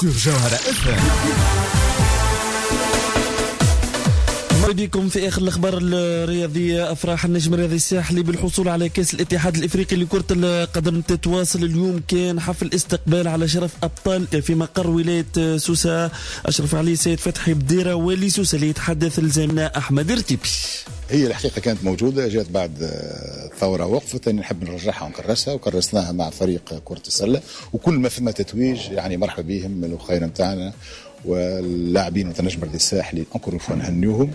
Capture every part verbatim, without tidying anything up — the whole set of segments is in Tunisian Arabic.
sur جوهرة اف. مرحبا بكم في اخر الاخبار الرياضية. افراح النجم الرياضي الساحلي بالحصول على كاس الاتحاد الافريقي لكرة القدم تتواصل. اليوم كان حفل استقبال على شرف ابطال في مقر ولاية سوسة. اشرف علي سيد فتحي بديره والي سوسة اللي يتحدث لزميلنا احمد ارتبي. هي الحقيقة كانت موجودة، جات بعد الثورة وقفت، انا نحب نرجعها ونكرسها، وكرسناها مع فريق كره السلة، وكل ما فما تتويج يعني مرحبا بهم الخير نتاعنا واللاعبين نتاع النجم الرياضي الساحلي encore une fois نهنيوهم.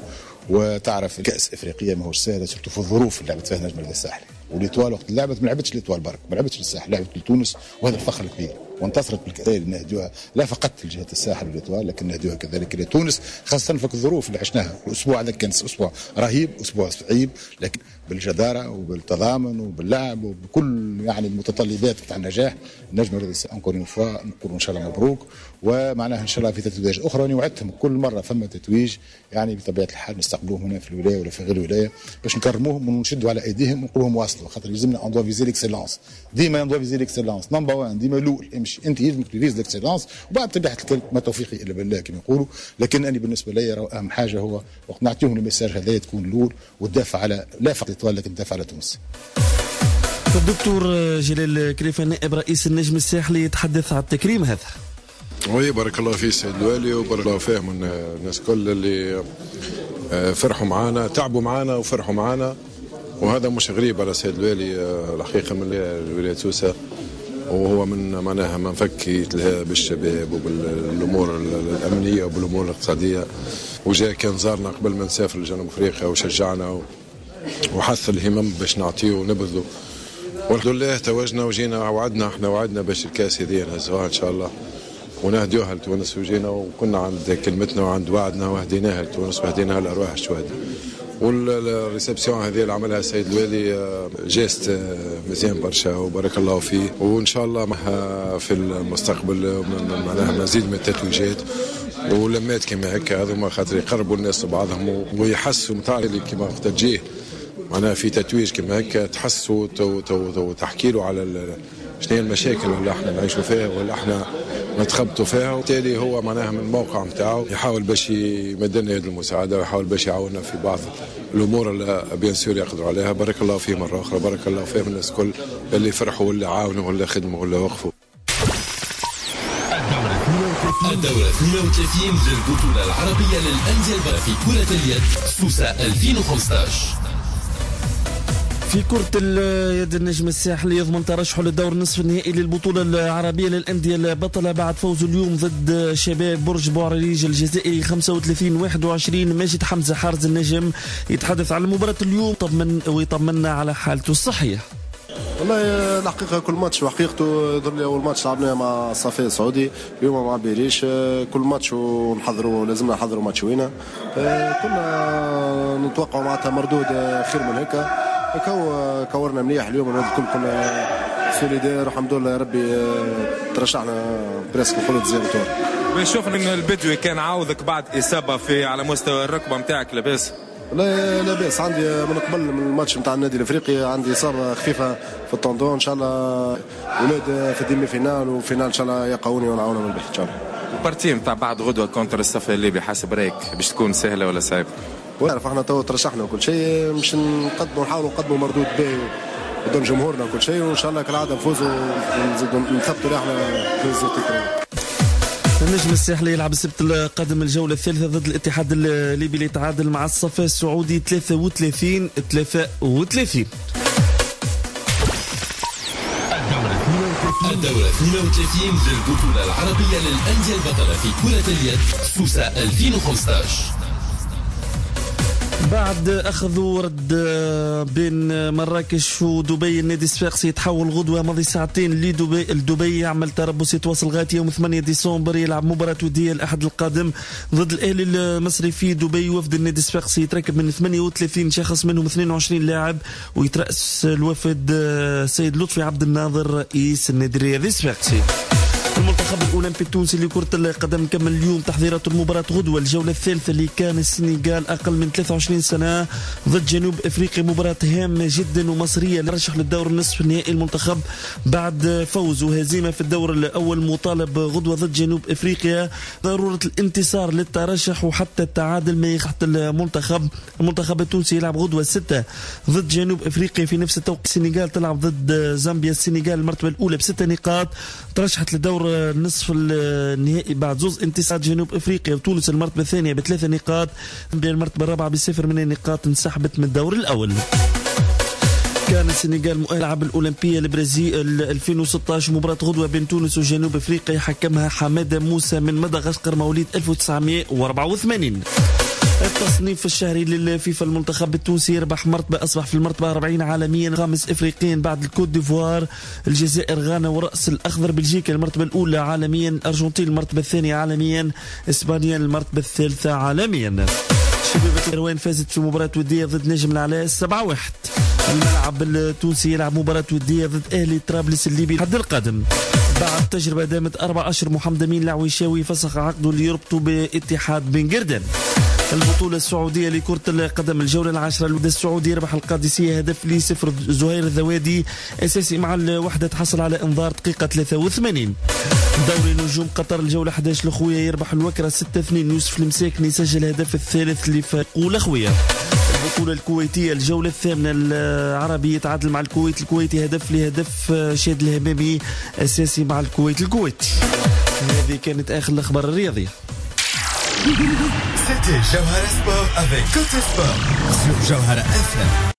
وتعرف الكاس افريقية ماهوش سهلة، surtout في الظروف اللي لعبت فيها النجم الرياضي الساحلي و l'Étoile وقت لعبت ما لعبتش l'Étoile برك، ما لعبتش للساحل، لعبت لتونس، وهذا الفخر الكبير، وانتصرت بالكاس اللي نهدوها لا فقط لجهة الساحل و l'Étoile لكن نهدوها كذلك لتونس، خاصة في الظروف اللي عشناها. الاسبوع هذا كان اسبوع رهيب، اسبوع صعيب، لكن بالجداره وبالتضامن وباللعب وبكل يعني المتطلبات بتاع النجاح النجم الرياضي encore une fois نقولوا ان شاء الله مبروك، ومعناها ان شاء الله في تتويج اخرى. انا وعدتهم كل مرة فما تتويج يعني بطبيعة الحال نستقبلوهم هنا في الولاية ولا في غير الولاية باش نكرموهم ونشدوا على ايديهم ونقول لهم واصلوا، خاطر يلزمنا on doit viser l'excellence، ديما on doit viser l'excellence number واحد، ديما الاول امشي انت يلزمك ت vise l'excellence، وبعد بطبيعة الحال ما توفيقي الا بالله كما يقولوا. لكن انا بالنسبة لي اهم حاجة هو وقت نعطيهم ال message هذا تكون الاول وتدافع على لا فقط l'Étoile لكن تدافع على تونس. الدكتور جلال كريفة نائب رئيس النجم الساحلي يتحدث على التكريم هذا. oui بارك الله فيه السيد الوالي وبارك الله فيه من الناس كل اللي فرحوا معانا، تعبوا معانا وفرحوا معانا، وهذا مش غريب على السيد الوالي الحقيقة من ولاية سوسة، وهو من معناها من فك يتلهى بالشباب وبالامور الامنية وبالامور الاقتصادية، وجاء كان زارنا قبل ما نسافر لجنوب افريقيا وشجعنا وحث الهمم باش نعطيه ونبذله، والحمد لله توجنا وجينا وعدنا، احنا وعدنا باش الكاس هذه نهزوها ان شاء الله ونهديوها لتونس، وجينا وكنا عند كلمتنا وعند وعدنا وهديناها لتونس وهديناها لارواح الشهداء. وال réception هذه اللي عملها السيد الوالي geste مزيان برشا وبارك الله فيه، وان شاء الله في المستقبل معناها مزيد من التتويجات ولمات كما هكا هذوما، خاطر يقربوا الناس لبعضهم ويحسوا نتاع اللي كما وقت تجيه معناها في تتويج كما هكا تحسوا وتحكي له على شنو هي المشاكل اللي احنا نعيشوا فيها واللي احنا نتخبطوا فيها، وبالتالي هو معناها من الموقع نتاعو يحاول باش يمد لنا يد المساعدة ويحاول باش يعاوننا في بعض الامور اللي bien sûr يقدروا عليها. بارك الله فيه مرة اخرى، بارك الله فيه الناس الكل اللي فرحوا واللي عاونوا واللي خدموا واللي وقفوا. الدورة اثنين وثلاثين للبطولة العربية للأندية في كرة اليد سوسة ألفين وخمسة عشر. في كرة اليد النجم الساحلي يضمن ترشحه للدور النصف النهائي للبطولة العربية للأندية البطلة بعد فوزه اليوم ضد شباب برج بوعريج الجزائري خمسة وثلاثين واحد وعشرين. ماجد حمزة حارز النجم يتحدث على مباراة اليوم طمن ويطمنا على حالته الصحية. والله الحقيقة كل ماتش وحقيقته، يظهر لي أول ماتش لعبناه مع الصفي السعودي، اليوم مع بيريش، كل ماتش ونحضروا لازمنا نحضروا ماتش وينا، كنا نتوقعوا معناتها مردود خير من هيك، كو كورنا مليح اليوم الولاد الكل كنا solidaires، الحمد لله يا ربي ترشحنا presque نقولوا deuxième tour. شوف ان البدوي كان عاوضك بعد اصابه في على مستوى الركبة نتاعك، لاباس؟ لا لاباس، عندي من قبل من الماتش نتاع النادي الافريقي عندي اصابه خفيفة في ال tendon، ان شاء الله ولاد في ال demi-finale و finale ان شاء الله يقعوني ونعاونهم الباقي ان شاء الله. ال partie نتاع بعد غدوه contre الصفي الليبي حسب رايك باش تكون سهلة ولا صعيبة؟ ونعرف احنا تو ترشحنا وكل شيء، مش نقدموا نحاولوا نقدموا مردود باهي قدام جمهورنا وكل شيء، وان شاء الله كالعادة نفوزوا ونزيدوا نثبتوا روحنا نهزوا ال titre. النجم الساحلي يلعب السبت القادم الجولة الثالثة ضد الاتحاد الليبي اللي يتعادل مع الصفا السعودي ثلاثة وثلاثين ثلاثة وثلاثين. الدورة اثنين وثلاثين للبطولة العربية للأندية البطلة في كرة اليد سوسة ألفين وخمسة عشر. بعد اخذ ورد بين مراكش ودبي، النادي الصفاقسي يتحول غدوه ماضي ساعتين لدبي، لدبي يعمل تربص يتواصل لغاية يوم ثمانية ديسمبر، يلعب مباراة وديه الاحد القادم ضد الاهلي المصري في دبي. وفد النادي الصفاقسي يتركب من ثمانية وثلاثين شخص منهم اثنين وعشرين لاعب، ويترأس الوفد السيد لطفي عبد الناظر رئيس النادي الرياضي الصفاقسي. المنتخب الأولمبي التونسي لكرة القدم كمل اليوم تحضيرات المباراة غدوة، الجولة الثالثة اللي كان السنغال أقل من ثلاثة وعشرين سنة ضد جنوب أفريقيا، مباراة هامة جدا ومصرية لرشح للدور النصف النهائي. المنتخب بعد فوز وهزيمة في الدور الأول مطالب غدوة ضد جنوب أفريقيا ضرورة الانتصار للترشح وحتى التعادل ما يخحت المنتخب. المنتخب التونسي يلعب غدوة ستة ضد جنوب أفريقيا، في نفس التوقيت السنغال تلعب ضد زامبيا. السنغال المرتبة الأولى بستة نقاط ترشحت لدور النصف النهائي بعد زوز انتصارات جنوب افريقيا، وتونس المرتبة الثانية بثلاثة نقاط، زامبيا المرتبة الرابعة بصفر من النقاط انسحبت من الدور الاول. كان السنغال مؤهل الألعاب الأولمبية البرازيل ألفين وستة عشر، مباراة غدوة بين تونس وجنوب افريقيا حكمها حمادة موسى من مدغشقر مواليد ألف وتسعمائة وأربعة وثمانين. التصنيف الشهري للفيفا، المنتخب التونسي يربح مرتبة، أصبح في المرتبة أربعين عالميا، خامس إفريقيا بعد الكوت ديفوار، الجزائر، غانا ورأس الأخضر، بلجيكا المرتبة الأولى عالميا، الأرجنتين المرتبة الثانية عالميا، إسبانيا المرتبة الثالثة عالميا. شبيبة القيروان فازت في مباراة ودية ضد نجم العلاء سبعة واحد. الملعب التونسي يلعب مباراة ودية ضد أهلي طرابلس الليبي الحد القادم. بعد تجربة دامت أربع أشهر، محمد أمين العويشاوي فسخ عقده اللي يربطه باتحاد بن قردان. البطولة السعودية لكرة القدم الجولة العاشرة، الوداد السعودي يربح القادسية هدف لصفر، زهير الذوادي أساسي مع الوحدة تحصل على إنذار دقيقة ثلاثة وثمانين. دوري نجوم قطر الجولة أحد عشر، الأخوية يربح الوكرة ستة اثنين، يوسف المساكني يسجل الهدف الثالث لفريقه الأخوية. البطولة الكويتية الجولة الثامنة، العربي يتعادل مع الكويت الكويتي هدف لهدف، شاد الهمامي أساسي مع الكويت الكويتي. هذه كانت آخر الأخبار الرياضية. C'était Jawhara Sport avec Cote Sport sur Jawhara F M.